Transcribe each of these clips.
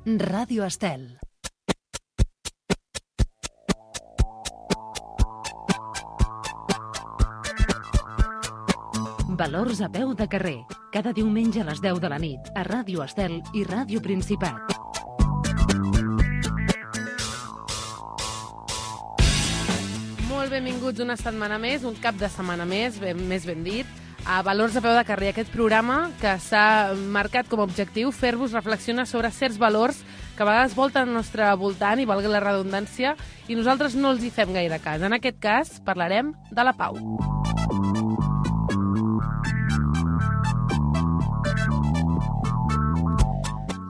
Ràdio Estel. Valors a peu de carrer. Cada diumenge a les 10 de la nit a Ràdio Estel i Ràdio Principat. Molt benvinguts una setmana més, un cap de setmana més ben dit, a Valors a peu de carrer, aquest programa que s'ha marcat com a objectiu fer-vos reflexionar sobre certs valors que a vegades volten al nostre voltant, i valgui la redundància, i nosaltres no els hi fem gaire cas. En aquest cas parlarem de la pau.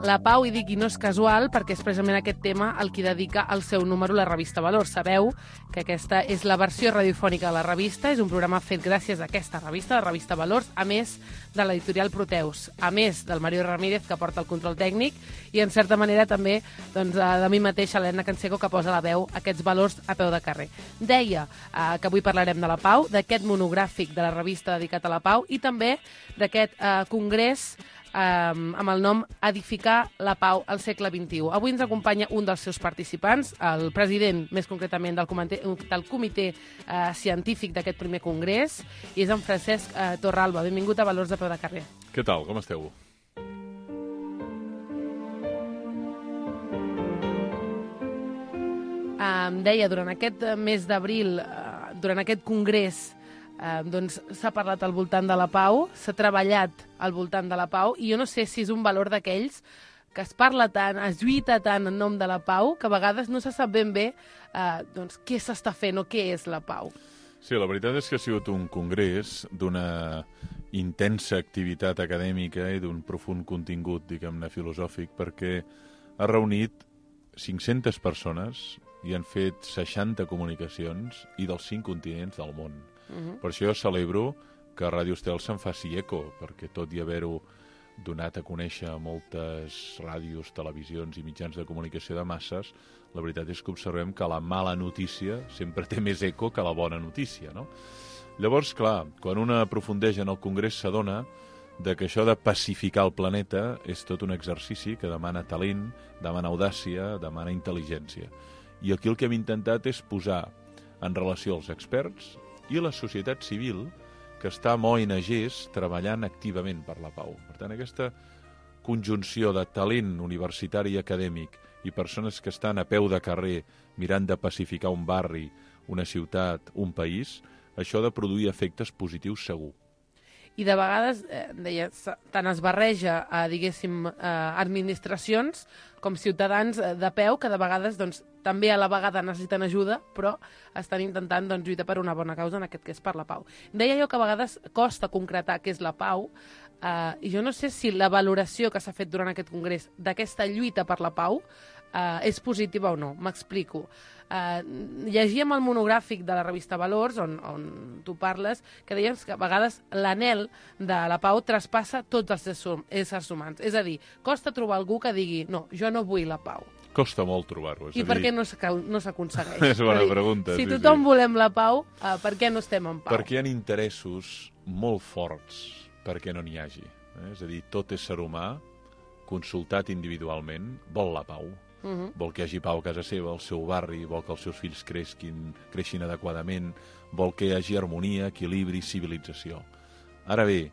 La pau, i dic, i no és casual, perquè és precisament aquest tema el que dedica el seu número a la revista Valors. Sabeu que aquesta és la versió radiofònica de la revista, és un programa fet gràcies a aquesta revista, la revista Valors, a més de l'editorial Proteus, a més del Mario Ramírez, que porta el control tècnic, i en certa manera també doncs, de mi mateixa, Helena Canseco, que posa la veu a aquests valors a peu de carrer. Deia que avui parlarem de la pau, d'aquest monogràfic de la revista dedicat a la pau, i també d'aquest congrés amb el nom Edificar la Pau al segle XXI. Avui ens acompanya un dels seus participants, el president, més concretament, del comitè científic d'aquest primer congrés, i és en Francesc Torralba. Benvingut a Valors a peu de carrer. Què tal? Com esteu? Deia, durant aquest mes d'abril, durant aquest congrés, doncs s'ha parlat al voltant de la pau, s'ha treballat al voltant de la pau, i jo no sé si és un valor d'aquells que es parla tant, es lluita tant en nom de la pau, que a vegades no se sap ben bé doncs, què s'està fent o què és la pau. Sí, la veritat és que ha sigut un congrés d'una intensa activitat acadèmica i d'un profund contingut, diguem-ne, filosòfic, perquè ha reunit 500 persones i han fet 60 comunicacions i dels 5 continents del món. Per això jo celebro que Ràdio Estel se'n faci eco, perquè tot i haver-ho donat a conèixer a moltes ràdios, televisions i mitjans de comunicació de masses, la veritat és que observem que la mala notícia sempre té més eco que la bona notícia, no? Llavors, clar, quan un aprofundeix en el Congrés s'adona que això de pacificar el planeta és tot un exercici que demana talent, demana audàcia, demana intel·ligència. I aquí el que hem intentat és posar en relació els experts i la societat civil, que està amb ONGs treballant activament per la pau. Per tant, aquesta conjunció de talent universitari i acadèmic i persones que estan a peu de carrer mirant de pacificar un barri, una ciutat, un país, això ha de produir efectes positius segur. I de vegades, deia, tant es barreja a, diguéssim, administracions com ciutadans de peu, que de vegades doncs, també a la vegada necessiten ajuda, però estan intentant doncs, lluitar per una bona causa, en aquest cas per la pau. Deia jo que a vegades costa concretar què és la pau, i jo no sé si la valoració que s'ha fet durant aquest congrés d'aquesta lluita per la pau és positiva o no. M'explico. Llegíem el monogràfic de la revista Valors, on tu parles, que deies que a vegades l'anhel de la pau traspassa tots els éssers humans. És a dir, costa trobar algú que digui no, jo no vull la pau. Costa molt trobar-ho. I per què no s'aconsegueix? És una bona pregunta. Si tothom volem la pau, per què no estem en pau? Perquè hi ha interessos molt forts perquè no n'hi hagi. És a dir, tot ésser humà, consultat individualment, vol la pau. Vol que hi hagi pau a casa seva, al seu barri, vol que els seus fills creixin adequadament, vol que hi hagi harmonia, equilibri, civilització. Ara bé,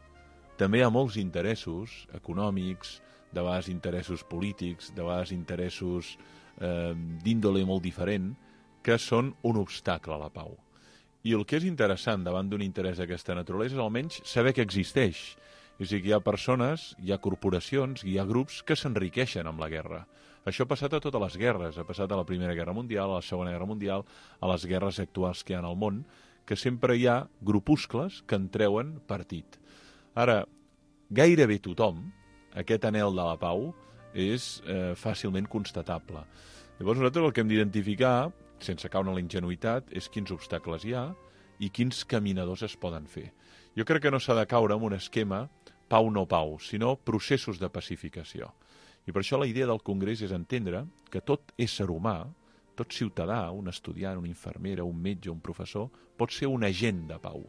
també hi ha molts interessos econòmics, de vegades interessos polítics, de vegades interessos d'índole molt diferent, que són un obstacle a la pau. I el que és interessant davant d'un interès d'aquesta naturalesa és almenys saber que existeix. És a dir, que hi ha persones, hi ha corporacions, hi ha grups que s'enriqueixen amb la guerra. Això ha passat a totes les guerres, ha passat a la Primera Guerra Mundial, a la Segona Guerra Mundial, a les guerres actuals que hi ha al món, que sempre hi ha grupuscles que en treuen partit. Ara, gairebé tothom, aquest anhel de la pau, és fàcilment constatable. Llavors nosaltres el que hem d'identificar, sense caure en la ingenuïtat, és quins obstacles hi ha i quins caminadors es poden fer. Jo crec que no s'ha de caure en un esquema pau no pau, sinó processos de pacificació. I per això la idea del Congrés és entendre que tot ésser humà, tot ciutadà, un estudiant, una infermera, un metge, un professor, pot ser un agent de pau.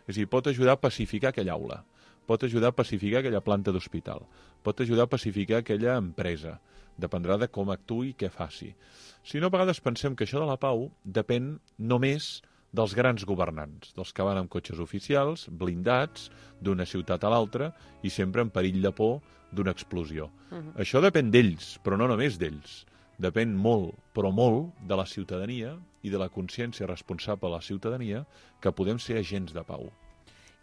És a dir, pot ajudar a pacificar aquella aula, pot ajudar a pacificar aquella planta d'hospital, pot ajudar a pacificar aquella empresa, dependrà de com actuï i què faci. Si no, a vegades pensem que això de la pau depèn només dels grans governants, dels que van amb cotxes oficials, blindats, d'una ciutat a l'altra, i sempre en perill de por d'una explosió. Això depèn d'ells, però no només d'ells. Depèn molt, però molt, de la ciutadania i de la consciència responsable de la ciutadania que podem ser agents de pau.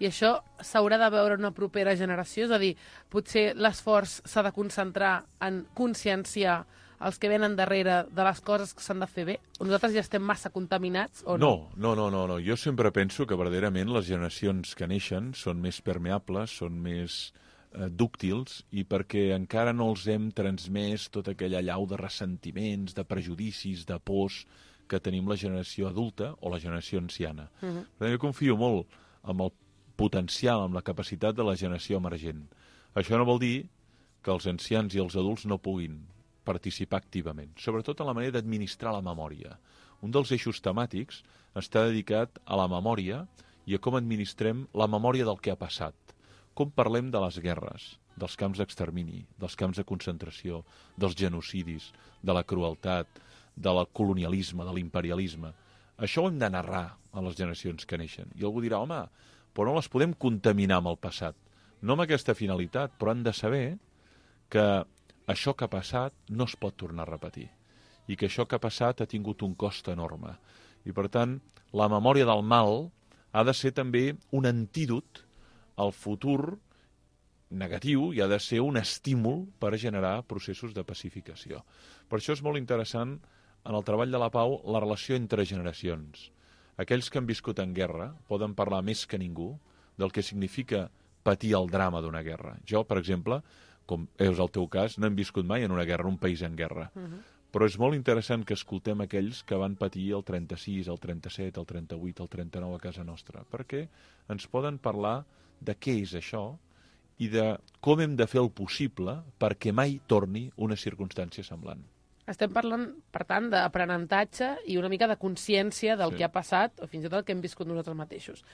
I això s'haurà de veure en una propera generació? És a dir, potser l'esforç s'ha de concentrar en conscienciar els que venen darrere de les coses que s'han de fer bé? O nosaltres ja estem massa contaminats o no? No. Jo sempre penso que verdaderament les generacions que neixen són més permeables, són més dúctils, i perquè encara no els hem transmès tota aquella allau de ressentiments, de prejudicis, de pors que tenim la generació adulta o la generació anciana. Per tant, jo confio molt en el potencial, amb la capacitat de la generació emergent. Això no vol dir que els ancians i els adults no puguin participar activament, sobretot en la manera d'administrar la memòria. Un dels eixos temàtics està dedicat a la memòria i a com administrem la memòria del que ha passat. Com parlem de les guerres, dels camps d'extermini, dels camps de concentració, dels genocidis, de la crueltat, del colonialisme, de l'imperialisme. Això ho hem de narrar a les generacions que neixen. I algú dirà, home, però no les podem contaminar amb el passat. No amb aquesta finalitat, però han de saber que això que ha passat no es pot tornar a repetir i que això que ha passat ha tingut un cost enorme. I, per tant, la memòria del mal ha de ser també un antídot al futur negatiu i ha de ser un estímul per generar processos de pacificació. Per això és molt interessant, en el treball de la pau, la relació entre generacions. Aquells que han viscut en guerra poden parlar més que ningú del que significa patir el drama d'una guerra. Jo, per exemple, com és el teu cas, no hem viscut mai en una guerra, en un país en guerra. Però és molt interessant que escoltem aquells que van patir el 36, el 37, el 38, el 39 a casa nostra, perquè ens poden parlar de què és això i de com hem de fer el possible perquè mai torni una circumstància semblant. Estem parlant, per tant, d'aprenentatge i una mica de consciència del que ha passat, o fins i tot el que hem viscut nosaltres mateixos.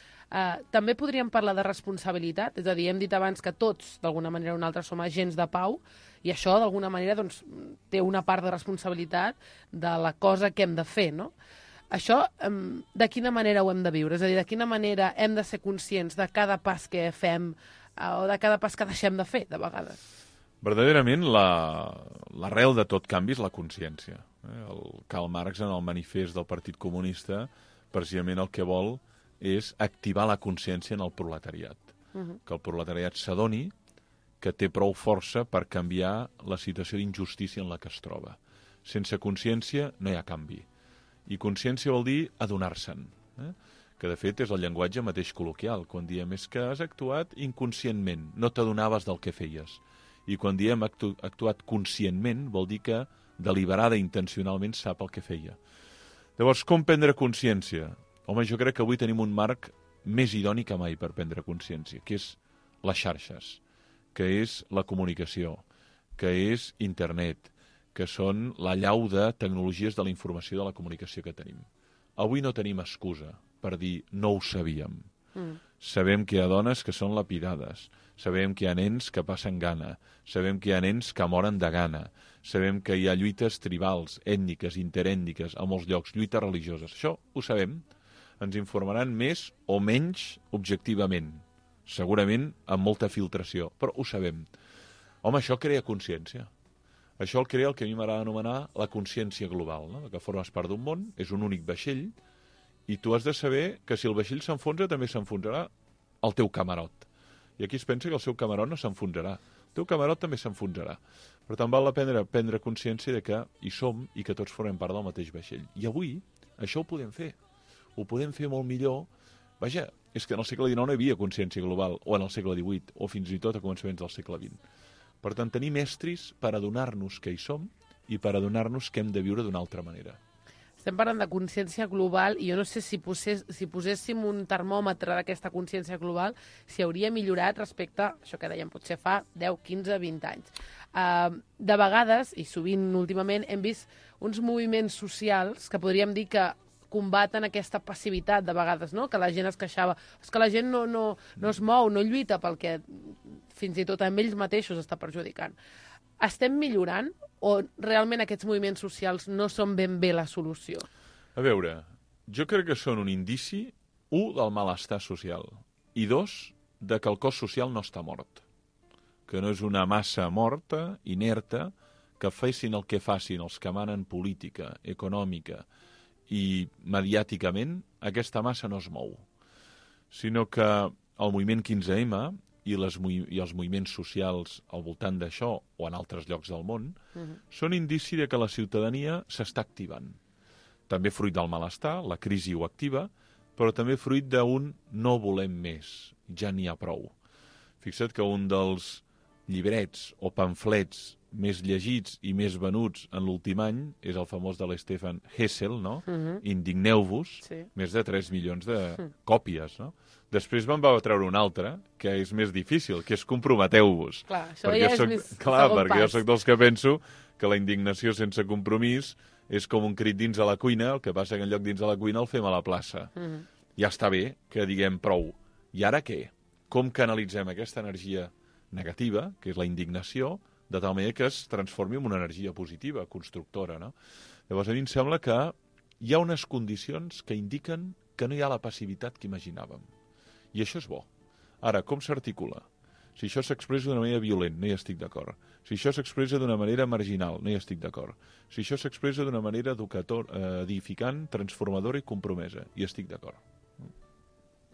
També podríem parlar de responsabilitat, és a dir, hem dit abans que tots, d'alguna manera o una altra, som agents de pau, i això, d'alguna manera, doncs, té una part de responsabilitat de la cosa que hem de fer, no? Això, de quina manera ho hem de viure? És a dir, de quina manera hem de ser conscients de cada pas que fem o de cada pas que deixem de fer, de vegades? Verdaderament, l'arrel de tot canvi és la consciència. El Karl Marx, en el manifest del Partit Comunista, precisament el que vol és activar la consciència en el proletariat. Que el proletariat s'adoni que té prou força per canviar la situació d'injustícia en la que es troba. Sense consciència no hi ha canvi. I consciència vol dir adonar-se'n, que de fet és el llenguatge mateix col·loquial. Quan diem és que has actuat inconscientment, no t'adonaves del que feies. I quan diem actuat conscientment vol dir que deliberada i intencionalment sap el que feia. Llavors, com prendre consciència? Home, jo crec que avui tenim un marc més idoni que mai per prendre consciència, que és les xarxes, que és la comunicació, que és internet, que són la llau de tecnologies de la informació de la comunicació que tenim. Avui no tenim excusa per dir no ho sabíem. Sabem que hi ha dones que són lapidades, sabem que hi ha nens que passen gana, sabem que hi ha nens que moren de gana, sabem que hi ha lluites tribals, ètniques, interètniques, a molts llocs, lluites religioses. Això ho sabem. Ens informaran més o menys objectivament, segurament amb molta filtració, però ho sabem. Home, això crea consciència. Això el crea el que a mi m'agrada anomenar la consciència global, no? Que formes part d'un món, és un únic vaixell, i tu has de saber que si el vaixell s'enfonsa també s'enfonsarà el teu camarot. I aquí es pensa que el seu camarot no s'enfonsarà. El teu camarot també s'enfonsarà. Per tant, val la pena prendre consciència de que hi som i que tots formem part del mateix vaixell. I avui això ho podem fer. Ho podem fer molt millor. Vaja, és que en el segle XIX no hi havia consciència global, o en el segle XVIII, o fins i tot a començaments del segle XX. Per tant, tenim estris per adonar-nos que hi som i per adonar-nos que hem de viure d'una altra manera. Estem parlant de consciència global i jo no sé si poséssim un termòmetre d'aquesta consciència global si hauria millorat respecte a això que dèiem potser fa 10, 15, 20 anys. De vegades, i sovint últimament, hem vist uns moviments socials que podríem dir que combaten aquesta passivitat de vegades, no? Que la gent es queixava. És que la gent no es mou, no lluita pel que fins i tot amb ells mateixos està perjudicant. estem millorant o realment aquests moviments socials no són ben bé la solució? A veure, jo crec que són un indici, 1, del malestar social, i 2, de que el cos social no està mort, que no és una massa morta, inerta, que fessin el que facin els que manen política, econòmica i mediàticament, aquesta massa no es mou, sinó que el moviment 15M i els moviments socials al voltant d'això o en altres llocs del món són indici de que la ciutadania s'està activant. També fruit del malestar, la crisi ho activa, però també fruit d'un no volem més, ja n'hi ha prou. Fixa't que un dels llibrets o pamflets més llegits i més venuts en l'últim any és el famós de l'Stefan Hessel, no? Indigneu-vos, més de 3 milions de còpies, no? Després me'n va treure un altre, que és més difícil, que és comprometeu-vos. Clar, això ja és més segon pas. Perquè jo soc dels que penso que la indignació sense compromís és com un crit dins a la cuina, el que passa que en lloc dins a la cuina el fem a la plaça. Ja està bé que diguem prou. I ara què? Com canalitzem aquesta energia negativa, que és la indignació, de tal manera que es transformi en una energia positiva, constructora, no? Llavors, a mi em sembla que hi ha unes condicions que indiquen que no hi ha la passivitat que imaginàvem. I això és bo. Ara, com s'articula? Si això s'expressa d'una manera violent, no hi estic d'acord. Si això s'expressa d'una manera marginal, no hi estic d'acord. Si això s'expressa d'una manera edificant, transformadora i compromesa, hi estic d'acord.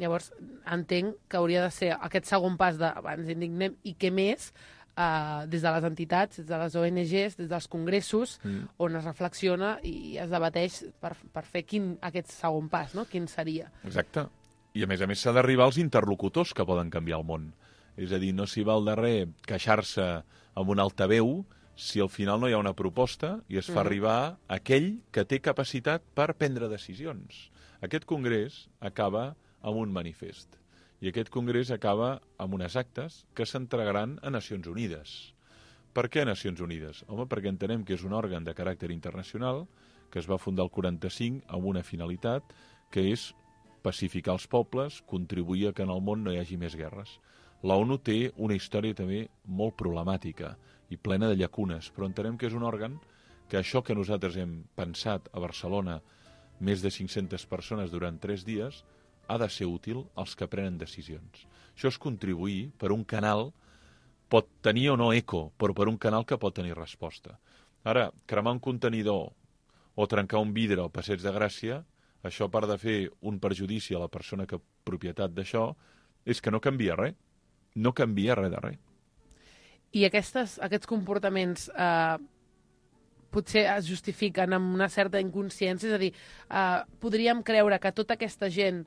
Llavors, entenc que hauria de ser aquest segon pas d'abans indignem i què més, des de les entitats, des de les ONGs, des dels congressos, on es reflexiona i es debateix per fer aquest segon pas, no? Quin seria. Exacte. I a més s'ha d'arribar als interlocutors que poden canviar el món. És a dir, no s'hi val de res queixar-se amb un altaveu si al final no hi ha una proposta i es fa arribar aquell que té capacitat per prendre decisions. Aquest congrés acaba amb un manifest. I aquest congrés acaba amb unes actes que s'entregaran a Nacions Unides. Per què a Nacions Unides? Home, perquè entenem que és un òrgan de caràcter internacional que es va fundar el 45 amb una finalitat que és pacificar els pobles, contribuir a que en el món no hi hagi més guerres. La ONU té una història també molt problemàtica i plena de llacunes, però entenem que és un òrgan que això que nosaltres hem pensat a Barcelona, més de 500 persones durant 3 dies, ha de ser útil als que prenen decisions. Això és contribuir per un canal, pot tenir o no eco, però per un canal que pot tenir resposta. Ara, cremar un contenidor o trencar un vidre al Passeig de Gràcia, això, a part de fer un perjudici a la persona que propietat d'això, és que no canvia res. No canvia res de res. I aquests comportaments potser es justifiquen amb una certa inconsciència, és a dir, podríem creure que tota aquesta gent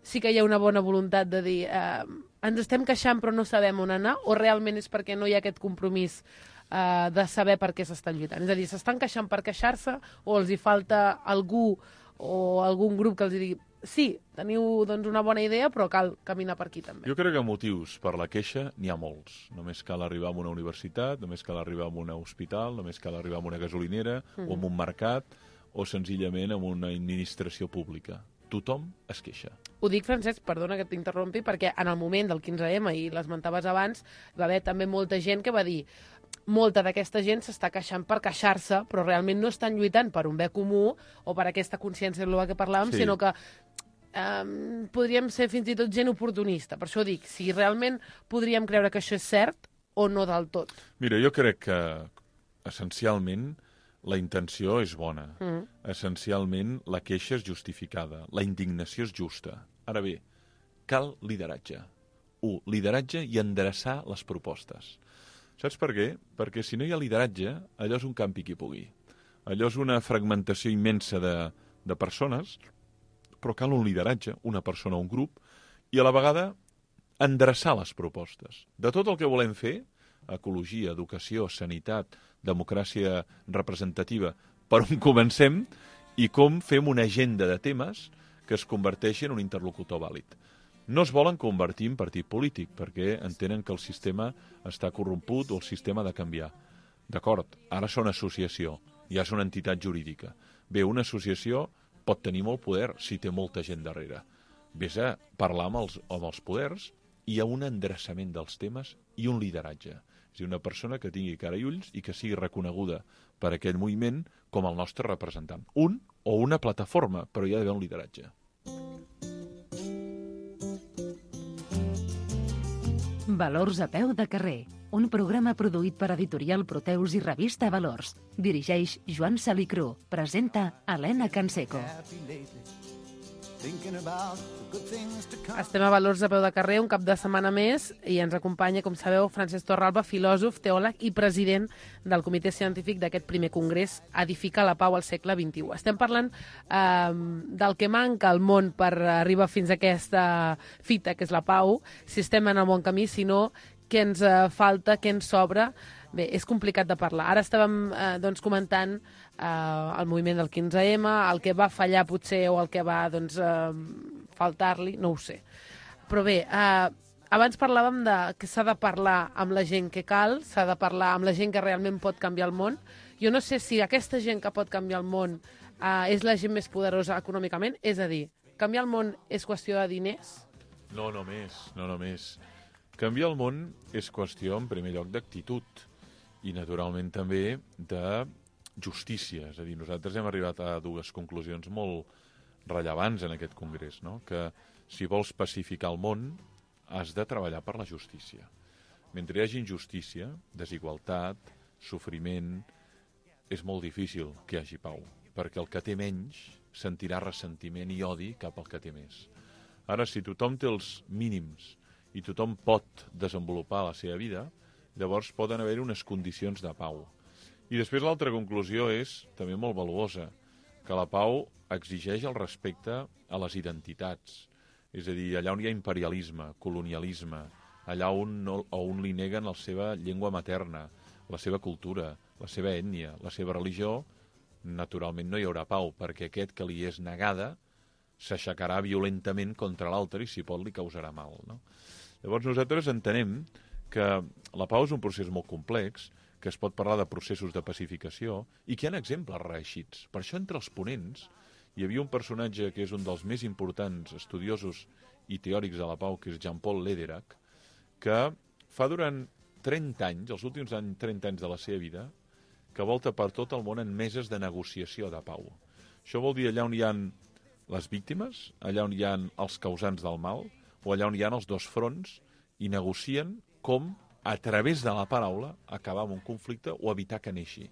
sí que hi ha una bona voluntat de dir ens estem queixant però no sabem on anar, o realment és perquè no hi ha aquest compromís de saber per què s'estan lluitant? És a dir, s'estan queixant per queixar-se o els hi falta algú o algun grup que els digui sí, teniu doncs, una bona idea, però cal caminar per aquí també. Jo crec que motius per la queixa n'hi ha molts. Només cal arribar a una universitat, només cal arribar a un hospital, només cal arribar a una gasolinera o a un mercat o senzillament a una administració pública. Tothom es queixa. Ho dic, Francesc, perdona que t'interrompi, perquè en el moment del 15M, i l'esmentaves abans, va haver també molta gent que va dir molta d'aquesta gent s'està queixant per queixar-se, però realment no estan lluitant per un bé comú o per aquesta consciència global que parlàvem, sinó que podríem ser fins i tot gent oportunista. Per això dic, si realment podríem creure que això és cert o no del tot. Mira, jo crec que essencialment la intenció és bona. Essencialment la queixa és justificada. La indignació és justa. Ara bé, cal lideratge. 1. Lideratge i endreçar les propostes. Saps per què? Perquè si no hi ha lideratge, allò és un campi qui pugui. Allò és una fragmentació immensa de persones, però cal un lideratge, una persona o un grup, i a la vegada endreçar les propostes. De tot el que volem fer, ecologia, educació, sanitat, democràcia representativa, per on comencem i com fem una agenda de temes que es converteixi en un interlocutor vàlid. No es volen convertir en partit polític perquè entenen que el sistema està corromput o el sistema ha de canviar. D'acord, ara són associació, ja és una entitat jurídica. Bé, una associació pot tenir molt poder si té molta gent darrere. Ves a parlar amb els poders, hi ha un endreçament dels temes i un lideratge. És a dir, una persona que tingui cara i ulls i que sigui reconeguda per aquell moviment com el nostre representant. Un o una plataforma, però hi ha d'haver un lideratge. Valors a peu de carrer, un programa produït per Editorial Proteus i Revista Valors. Dirigeix Joan Salicrú. Presenta Helena Canseco. Estem a Valors a peu de carrer un cap de setmana més i ens acompanya, com sabeu, Francesc Torralba, filòsof, teòleg i president del comitè científic d'aquest primer congrés Edificar la Pau al segle XXI. Estem parlant del que manca al món per arribar fins a aquesta fita, que és la pau, si estem en el bon camí, si no, què ens falta, què ens sobra. Bé, és complicat de parlar. Ara estàvem comentant el moviment del 15M, el que va fallar potser o el que va faltar-li, no ho sé. Però bé, abans parlàvem que s'ha de parlar amb la gent que cal, s'ha de parlar amb la gent que realment pot canviar el món. Jo no sé si aquesta gent que pot canviar el món és la gent més poderosa econòmicament, és a dir, canviar el món és qüestió de diners? No només. Canviar el món és qüestió, en primer lloc, d'actitud i, naturalment, també de justícia. És a dir, nosaltres hem arribat a dues conclusions molt rellevants en aquest congrés, no? Que si vols pacificar el món, has de treballar per la justícia. Mentre hi hagi injustícia, desigualtat, sofriment, és molt difícil que hi hagi pau, perquè el que té menys sentirà ressentiment i odi cap al que té més. Ara, si tothom té els mínims i tothom pot desenvolupar la seva vida, llavors poden haver unes condicions de pau. I després l'altra conclusió és també molt valuosa, que la pau exigeix el respecte a les identitats. És a dir, allà on hi ha imperialisme, colonialisme, allà on li neguen la seva llengua materna, la seva cultura, la seva ètnia, la seva religió, naturalment no hi haurà pau, perquè aquest que li és negada s'aixecarà violentament contra l'altre i, si pot, li causarà mal, no? Llavors nosaltres entenem que la pau és un procés molt complex, que es pot parlar de processos de pacificació i que hi ha exemples reeixits. Per això, entre els ponents, hi havia un personatge que és un dels més importants estudiosos i teòrics de la pau, que és Jean-Paul Lederach, que fa durant 30 anys, els últims 30 anys de la seva vida, que volta per tot el món en meses de negociació de pau. Això vol dir allà on hi ha les víctimes, allà on hi ha els causants del mal, o allà on hi ha els dos fronts, i negocien com, a través de la paraula, acabar amb un conflicte o evitar que neixi.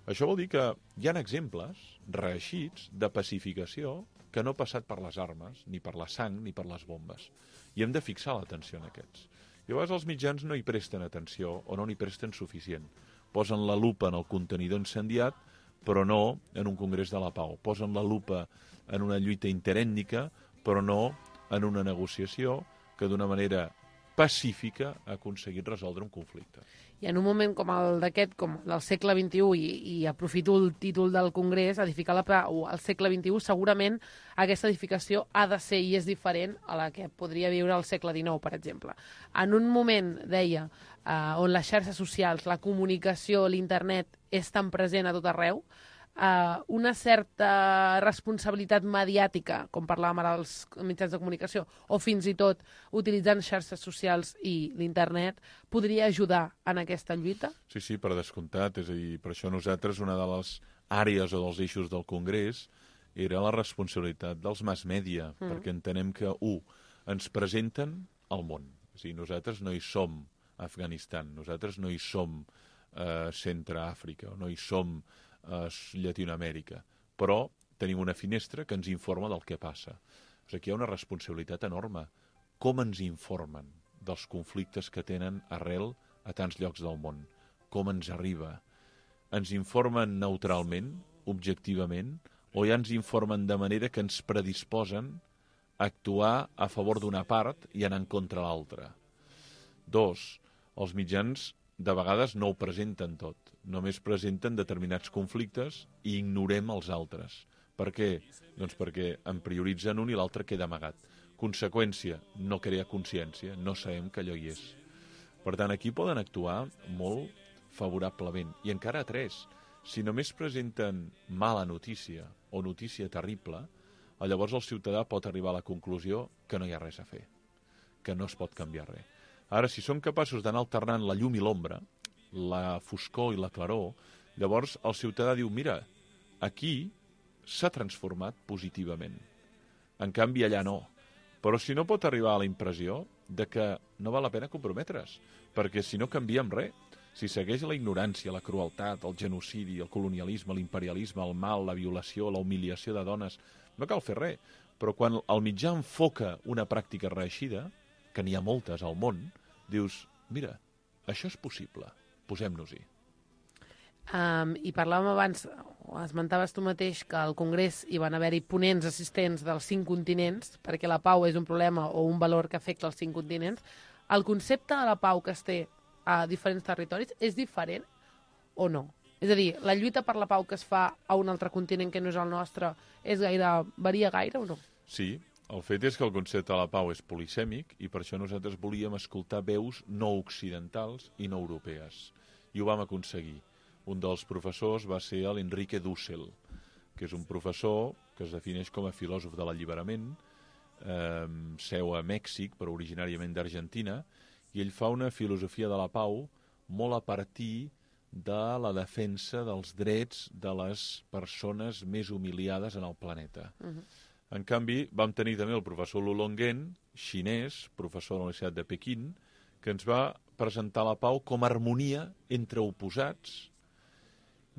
Això vol dir que hi ha exemples reeixits de pacificació que no ha passat per les armes, ni per la sang, ni per les bombes. I hem de fixar l'atenció en aquests. I a vegades els mitjans no hi presten atenció o no n'hi presten suficient. Posen la lupa en el contenidor incendiat, però no en un congrés de la pau. Posen la lupa en una lluita interètnica, però no en una negociació que d'una manera pacífica ha aconseguit resoldre un conflicte. I en un moment com el d'aquest, com del segle XXI, i aprofito el títol del congrés, Edificar la Pau al segle XXI, segurament aquesta edificació ha de ser i és diferent a la que podria viure al segle XIX, per exemple. En un moment, deia, on les xarxes socials, la comunicació, l'internet és tan present a tot arreu, una certa responsabilitat mediàtica, com parlàvem ara dels mitjans de comunicació, o fins i tot utilitzant xarxes socials i l'internet, podria ajudar en aquesta lluita? Sí, per descomptat. És a dir, per això nosaltres una de les àrees o dels eixos del Congrés era la responsabilitat dels mass media, perquè entenem que, ens presenten el món. És a dir, nosaltres no hi som Afganistan, nosaltres no hi som Centre-Àfrica, no hi som Llatinoamèrica, però tenim una finestra que ens informa del que passa. O sigui, aquí hi ha una responsabilitat enorme. Com ens informen dels conflictes que tenen arrel a tants llocs del món? Com ens arriba? Ens informen neutralment, objectivament, o ja ens informen de manera que ens predisposen a actuar a favor d'una part i anar en contra l'altra? 2, els mitjans de vegades no ho presenten tot. Només presenten determinats conflictes i ignorem els altres. Per què? Doncs perquè en prioritzen un i l'altre queda amagat. Conseqüència, no crea consciència, no sabem que allò hi és. Per tant, aquí poden actuar molt favorablement. I encara 3, si només presenten mala notícia o notícia terrible, llavors el ciutadà pot arribar a la conclusió que no hi ha res a fer, que no es pot canviar res. Ara, si som capaços d'anar alternant la llum i l'ombra, la foscor i la claror, llavors el ciutadà diu, mira, aquí s'ha transformat positivament. En canvi, allà no. Però si no pot arribar a la impressió de que no val la pena comprometre's, perquè si no canviem res, si segueix la ignorància, la crueltat, el genocidi, el colonialisme, l'imperialisme, el mal, la violació, la humiliació de dones, no cal fer res. Però quan el mitjà enfoca una pràctica reeixida, que n'hi ha moltes al món, dius, mira, això és possible, posem-nos-hi. I parlàvem abans, esmentaves tu mateix que al Congrés hi van haver-hi ponents assistents dels 5 continents, perquè la pau és un problema o un valor que afecta els 5 continents. El concepte de la pau que es té a diferents territoris és diferent o no? És a dir, la lluita per la pau que es fa a un altre continent que no és el nostre varia gaire o no? Sí, el fet és que el concepte de la pau és polisèmic i per això nosaltres volíem escoltar veus no occidentals i no europees. I ho vam aconseguir. Un dels professors va ser l'Enrique Dussel, que és un professor que es defineix com a filòsof de l'alliberament, seu a Mèxic, però originàriament d'Argentina, i ell fa una filosofia de la pau molt a partir de la defensa dels drets de les persones més humiliades en el planeta. En canvi, vam tenir també el professor Lulongen, xinès, professor de la Universitat de Pequín, que ens va presentar la pau com a harmonia entre oposats,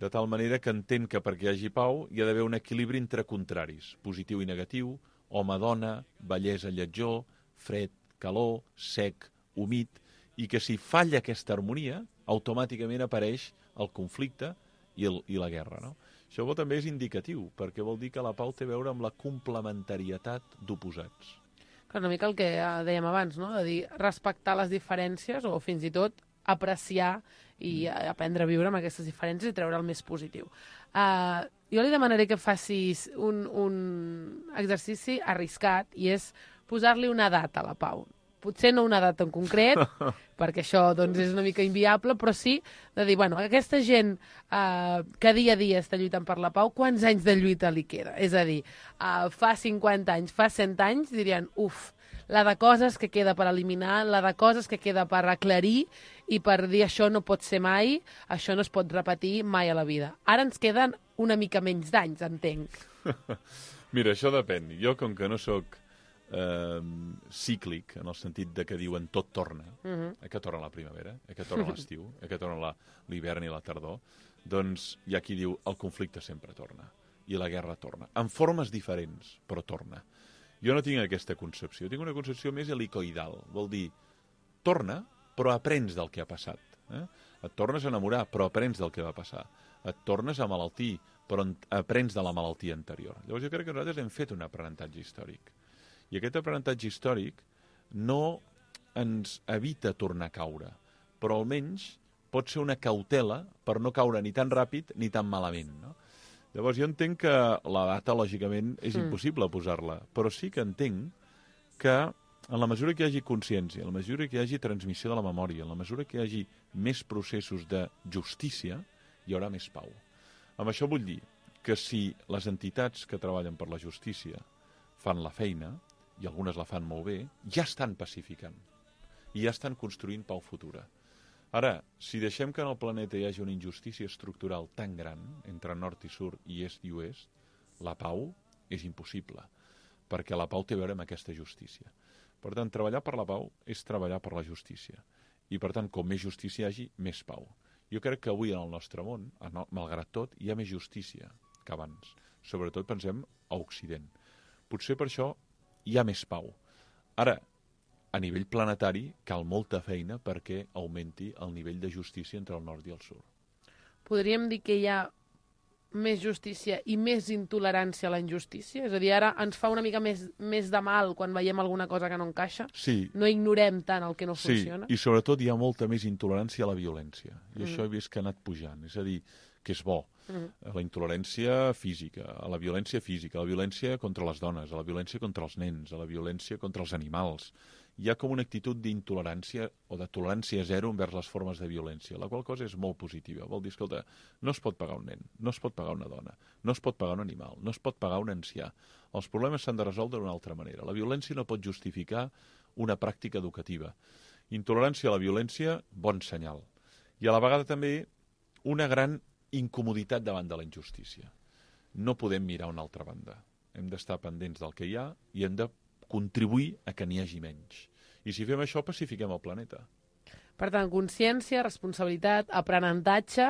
de tal manera que entén que perquè hi hagi pau hi ha d'haver un equilibri entre contraris, positiu i negatiu, home-dona, bellesa-lletjor, fred, calor, sec, humit, i que si falla aquesta harmonia, automàticament apareix el conflicte i la guerra, no? Això també és indicatiu, perquè vol dir que la pau té a veure amb la complementarietat d'oposats. Una mica el que dèiem abans, no? De dir, respectar les diferències o fins i tot apreciar i aprendre a viure amb aquestes diferències i treure el més positiu. Jo li demanaré que facis un exercici arriscat i és posar-li una data a la pau. Potser no una data en concret, perquè això doncs, és una mica inviable, però sí de dir, bueno, aquesta gent que dia a dia està lluitant per la pau, quants anys de lluita li queda? És a dir, fa 50 anys, fa 100 anys, dirien, la de coses que queda per eliminar, la de coses que queda per aclarir i per dir això no pot ser mai, això no es pot repetir mai a la vida. Ara ens queden una mica menys d'anys, entenc. Mira, això depèn. Jo, com que no sóc cíclic, en el sentit de que diuen tot torna, que torna la primavera, que torna l'estiu, que torna l'hivern i la tardor, doncs hi ha qui diu el conflicte sempre torna i la guerra torna, en formes diferents, però torna. Jo no tinc aquesta concepció, tinc una concepció més helicoidal, vol dir, torna, però aprens del que ha passat. Et tornes a enamorar, però aprens del que va passar. Et tornes a malaltir, però aprens de la malaltia anterior. Llavors jo crec que nosaltres hem fet un aprenentatge històric. I aquest aprenentatge històric no ens evita tornar a caure, però almenys pot ser una cautela per no caure ni tan ràpid ni tan malament, no? Llavors jo entenc que la data, lògicament, és impossible posar-la, però sí que entenc que en la mesura que hi hagi consciència, en la mesura que hi hagi transmissió de la memòria, en la mesura que hi hagi més processos de justícia, hi haurà més pau. Amb això vull dir que si les entitats que treballen per la justícia fan la feina, i algunes la fan molt bé, ja estan pacificant i ja estan construint pau futura. Ara, si deixem que en el planeta hi hagi una injustícia estructural tan gran entre nord i sud i est i oest, la pau és impossible, perquè la pau té a veure amb aquesta justícia. Per tant, treballar per la pau és treballar per la justícia. I, per tant, com més justícia hi hagi, més pau. Jo crec que avui en el nostre món, malgrat tot, hi ha més justícia que abans. Sobretot pensem a Occident. Potser per això hi ha més pau. Ara, a nivell planetari, cal molta feina perquè augmenti el nivell de justícia entre el nord i el sud. Podríem dir que hi ha més justícia i més intolerància a la injustícia? És a dir, ara ens fa una mica més de mal quan veiem alguna cosa que no encaixa? Sí. No ignorem tant el que no funciona? Sí, i sobretot hi ha molta més intolerància a la violència. I això he vist que ha anat pujant. És a dir, que és bo. A la intolerància física, a la violència física, a la violència contra les dones, a la violència contra els nens, a la violència contra els animals. Hi ha com una actitud d'intolerància o de tolerància zero envers les formes de violència, la qual cosa és molt positiva. Vol dir, escolta, no es pot pagar un nen, no es pot pagar una dona, no es pot pagar un animal, no es pot pagar un ancià. Els problemes s'han de resoldre d'una altra manera. La violència no pot justificar una pràctica educativa. Intolerància a la violència, bon senyal. I a la vegada també una gran incomoditat davant de la injustícia. No podem mirar a una altra banda. Hem d'estar pendents del que hi ha i hem de contribuir a que n'hi hagi menys. I si fem això, pacifiquem el planeta. Per tant, consciència, responsabilitat, aprenentatge,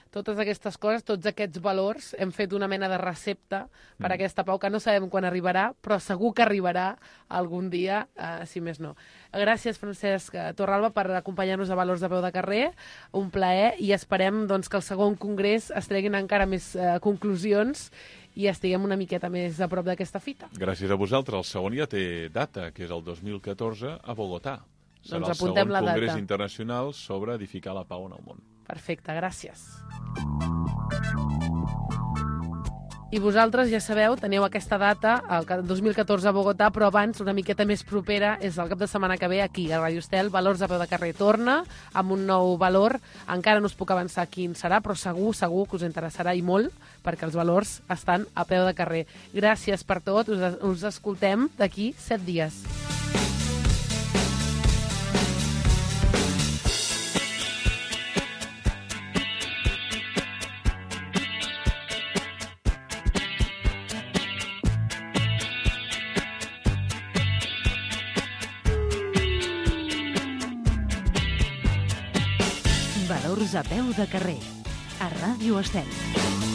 totes aquestes coses, tots aquests valors, hem fet una mena de recepta per a aquesta pau que no sabem quan arribarà, però segur que arribarà algun dia, si més no. Gràcies, Francesc Torralba, per acompanyar-nos a Valors de Peu de Carrer. Un plaer i esperem doncs, que el segon congrés es treguin encara més conclusions i estiguem una miqueta més a prop d'aquesta fita. Gràcies a vosaltres. El segon ja té data, que és el 2014 a Bogotà. Serà Doncs apuntem la data. El segon congrés internacional sobre edificar la pau en el món. Perfecte, gràcies. I vosaltres, ja sabeu, teniu aquesta data, el 2014 a Bogotà, però abans, una miqueta més propera, és el cap de setmana que ve aquí, a Radio Estel, Valors a Peu de Carrer torna, amb un nou valor. Encara no us puc avançar quin serà, però segur que us interessarà i molt, perquè els valors estan a peu de carrer. Gràcies per tot, us escoltem d'aquí 7 dies. Valors a peu de carrer, a Ràdio Estel.